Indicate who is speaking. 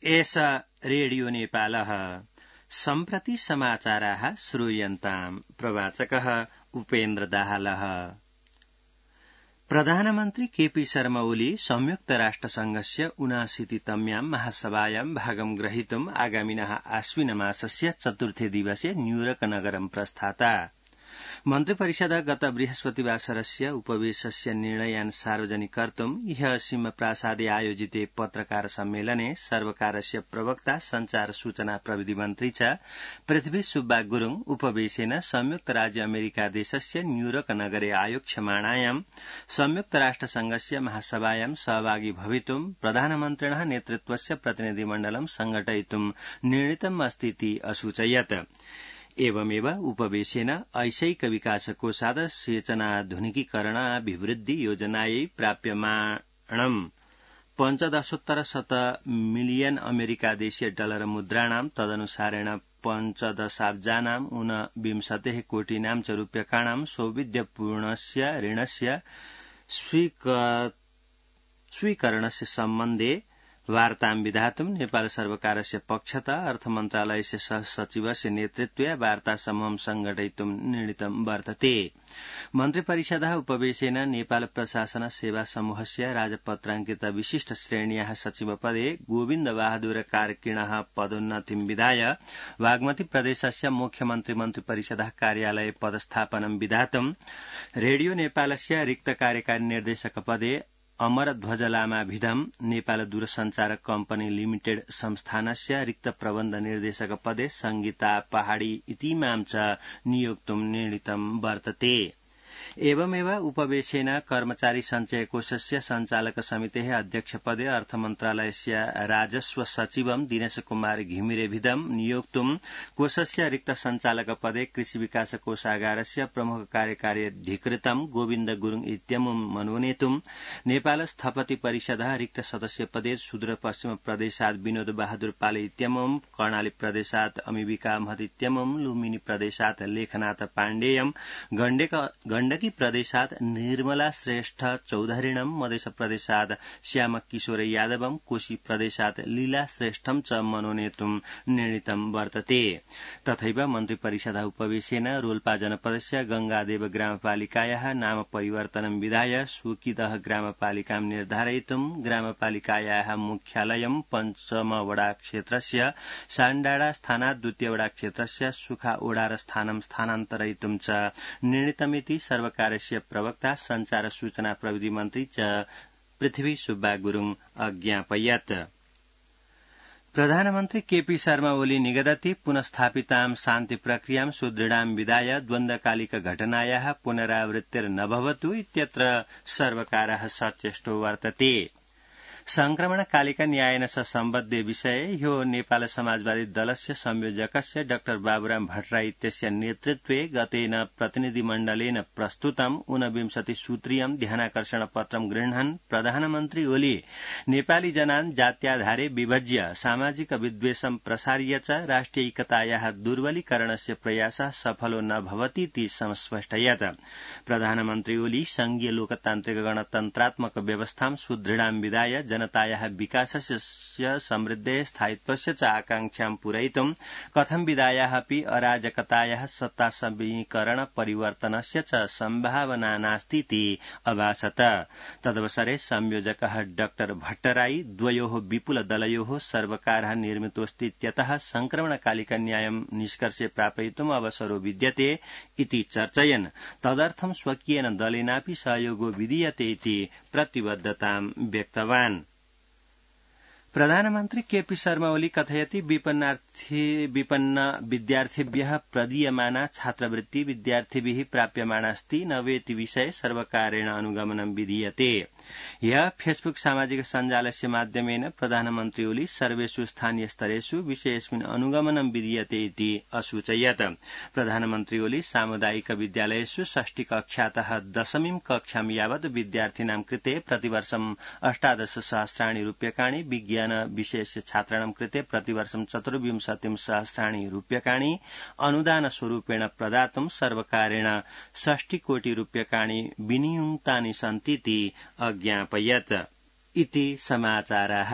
Speaker 1: एष रेडियो नेपालः सम्प्रति समाचाराः श्रूयन्ताम् प्रवाचकः उपेन्द्र दाहालः। प्रधानमन्त्री केपी शर्मा ओली संयुक्त राष्ट्रसंघस्य 79तम्यां महासभायां भागं ग्रहीतुम् आगामिनः आश्विनमासस्य चतुर्थे दिवसे न्यूयॉर्क नगरं प्रस्थाता। मन्त्रिपरिषद गत बृहस्पतिवासरस्य उपवेशस्य निर्णयान् सार्वजनिक कर्तुम् ह्यः सिंहप्रासादे आयोजिते पत्रकार सम्मेलने सर्वकारस्य प्रवक्ता संचार सूचना प्रविधि मन्त्री च पृथ्वी सुब्बा गुरुङ उपवेशेन संयुक्त राज्य अमेरिका देशस्य न्यूयॉर्क नगरे आयोक्ष्यमाणायां संयुक्त राष्ट्रसंघस्य महासभायां सहभागी भवितुम् प्रधानमन्त्रिणः नेतृत्वस्य प्रतिनिधिमण्डलं संघटयितुम् निर्णीतम् अस्तीति असूचयत्। एवमेव उपवेशेन ऐशैक विकास कोषाद सेचनाधुनिकीकरण अभिवृद्धि योजनायै प्राप्यमाणम् 15.7 मिलियन अमेरिका देशीय डलर मुद्राणां तदनुसारेण 15,000 ऊनविंशतेः कोटिनां च रूप्यकाणां सौविध्यपूर्णस्य ऋणस्य स्वीकरणस्य सम्बन्धे वार्तां विधातुं नेपाल सर्वकारस्य पक्षतः अर्थमन्त्रालयस्य सहसचिवस्य नेतृत्वे वार्ता समूहं संघटयितुं निर्णीतं वर्तते। मन्त्रिपरिषदः उपवेशेन नेपाल प्रशासन सेवा समूहस्य राजपत्राङ्कित विशिष्ट श्रेण्याः सचिवपदे गोविन्द बहादुर कार्किणः पदोन्नतिं विधाय बागमती प्रदेशस्य मुख्यमन्त्री मन्त्रिपरिषदः कार्यालये पदस्थापनं विधातुं रेडियो नेपालस्य रिक्त कार्यकारी निर्देशक पदे अमर ध्वज लामाभिधम् नेपाल दूरसञ्चार कम्पनी लिमिटेड संस्थानस्य रिक्त प्रबन्ध निर्देशक पदे संगीता पहाडी इतीमां च नियोक्तुं निर्णीतं वर्तते। एवमेव उपवेशेन कर्मचारी सञ्चय कोषस्य सञ्चालक समितेः अध्यक्ष पदे अर्थमन्त्रालयस्य राजस्व सचिवं दिनेश कुमार घिमिरेभिधम् नियोक्तुं कोषस्य रिक्त सञ्चालक पदे कृषि विकास कोषागारस्य प्रमुख कार्यकारी अधिकृतं गोविन्द गुरुङ इत्यमुं मनोनेतुं नेपाल स्थपति परिषदः रिक्त सदस्य पदे सुदूरपश्चिम प्रदेशात् विनोद बहादुर पाले इत्यमुं कर्णाली प्रदेशात् अमिबिका महत इत्यमुं लुम्बिनी प्रदेशात् लेखनाथ पाण्डेयम् गण्डकी प्रदेशात् निर्मला श्रेष्ठ चौधरीणं मध्य प्रदेशात् श्याम किशोर यादवं कोशी प्रदेशात् लीला श्रेष्ठं च मनोनेतुं निर्णीतं वर्तते। तथैव मन्त्रिपरिषदः उपवेशेन रोल्पा जनपदस्य गंगादेव ग्रामपालिकायाः नाम परिवर्तनं विधाय सुकिदह ग्रामपालिकां निर्धारयितुं ग्रामपालिकायाः मुख्यालयं पञ्चम वडा क्षेत्रस्य साण्डाडा स्थानात् द्वितीय वडा क्षेत्रस्य सुखा ओडार स्थानं स्थानान्तरयितुं च निर्णीतमिति सर्वकारस्य प्रवक्ता संचार सूचना प्रविधि मन्त्री च पृथ्वी सुब्बा गुरुङ अज्ञापयत्। प्रधानमन्त्री केपी शर्मा ओली निगदति पुनस्थापितां शान्ति प्रक्रियां सुदृढां विधाय द्वन्द्वकालिक घटनायाः पुनरावृत्तिर्न भवतु इत्यत्र सर्वकारः सचेष्टो वर्तते। संक्रमणकालिक न्यायेन स सम्बद्धे विषये ह्यो नेपाल समाजवादी दलस्य संयोजकस्य डाक्टर बाबुराम भट्टराई इत्यस्य नेतृत्वे गतेन प्रतिनिधिमण्डलेन प्रस्तुतं 29 सूत्रीयं ध्यानाकर्षण पत्रं गृह्णन् प्रधानमन्त्री ओली नेपाली जनान् जात्याधारे विभज्य सामाजिक विद्वेषं प्रसार्य च राष्ट्रिय एकतायाः दुर्बलीकरणस्य प्रयासः सफलो न भवतीति संस्पष्टयत्। प्रधानमन्त्री ओली संघीय लोकतान्त्रिक गणतन्त्रात्मक व्यवस्थां सुदृढां विधाय जनतायाः विकासस्य समृद्धेः स्थायित्वस्य च आकांक्षां पूरयितुं कथं विधायाः अपि अराजकतायाः सत्ता समीकरण परिवर्तनस्य च सम्भावना नास्तीति अभासत। तदवसरे संयोजकः डाक्टर भट्टराई द्वयोः विपुल दलयोः सर्वकारः निर्मितोऽस्तीत्यतः संक्रमणकालिक न्यायं निष्कर्षे प्रापयितुम् अवसरो विद्यते इति चर्चयन् तदर्थं स्वकीयेन दलेनापि सहयोगो विधीयते इति प्रतिबद्धतां व्यक्तवान्। प्रधानमन्त्री केपी शर्मा ओली कथयति विपन्न विद्यार्थिभ्यः प्रदीयमाना छात्रवृत्ति विद्यार्थिभिः प्राप्यमाणास्ति न वेति विषये सर्वकारेण अनुगमनं विधीयते। ह्यः फेसबुक सामाजिक सञ्जालस्य माध्यमेन प्रधानमन्त्री ओली सर्वेषु स्थानीय स्तरेषु विषयेऽस्मिन् अनुगमनं विधीयते इति असूचयत्। प्रधानमन्त्री ओली सामुदायिक विद्यालयेषु षष्ठी कक्षातः दशमीं कक्षां यावत् विद्यार्थिनां कृते प्रतिवर्षं 18 सहस्राणि रूप्यकाणि विज्ञान विशेष छात्राणां कृते प्रतिवर्षं 24 सहस्राणि रूप्यकाणि अनुदान स्वरूपेण प्रदातुं सर्वकारेण 60 कोटि रूप्यकाणि विनियुक्तानि सन्तीति अज्ञापयत्। इति समाचाराः।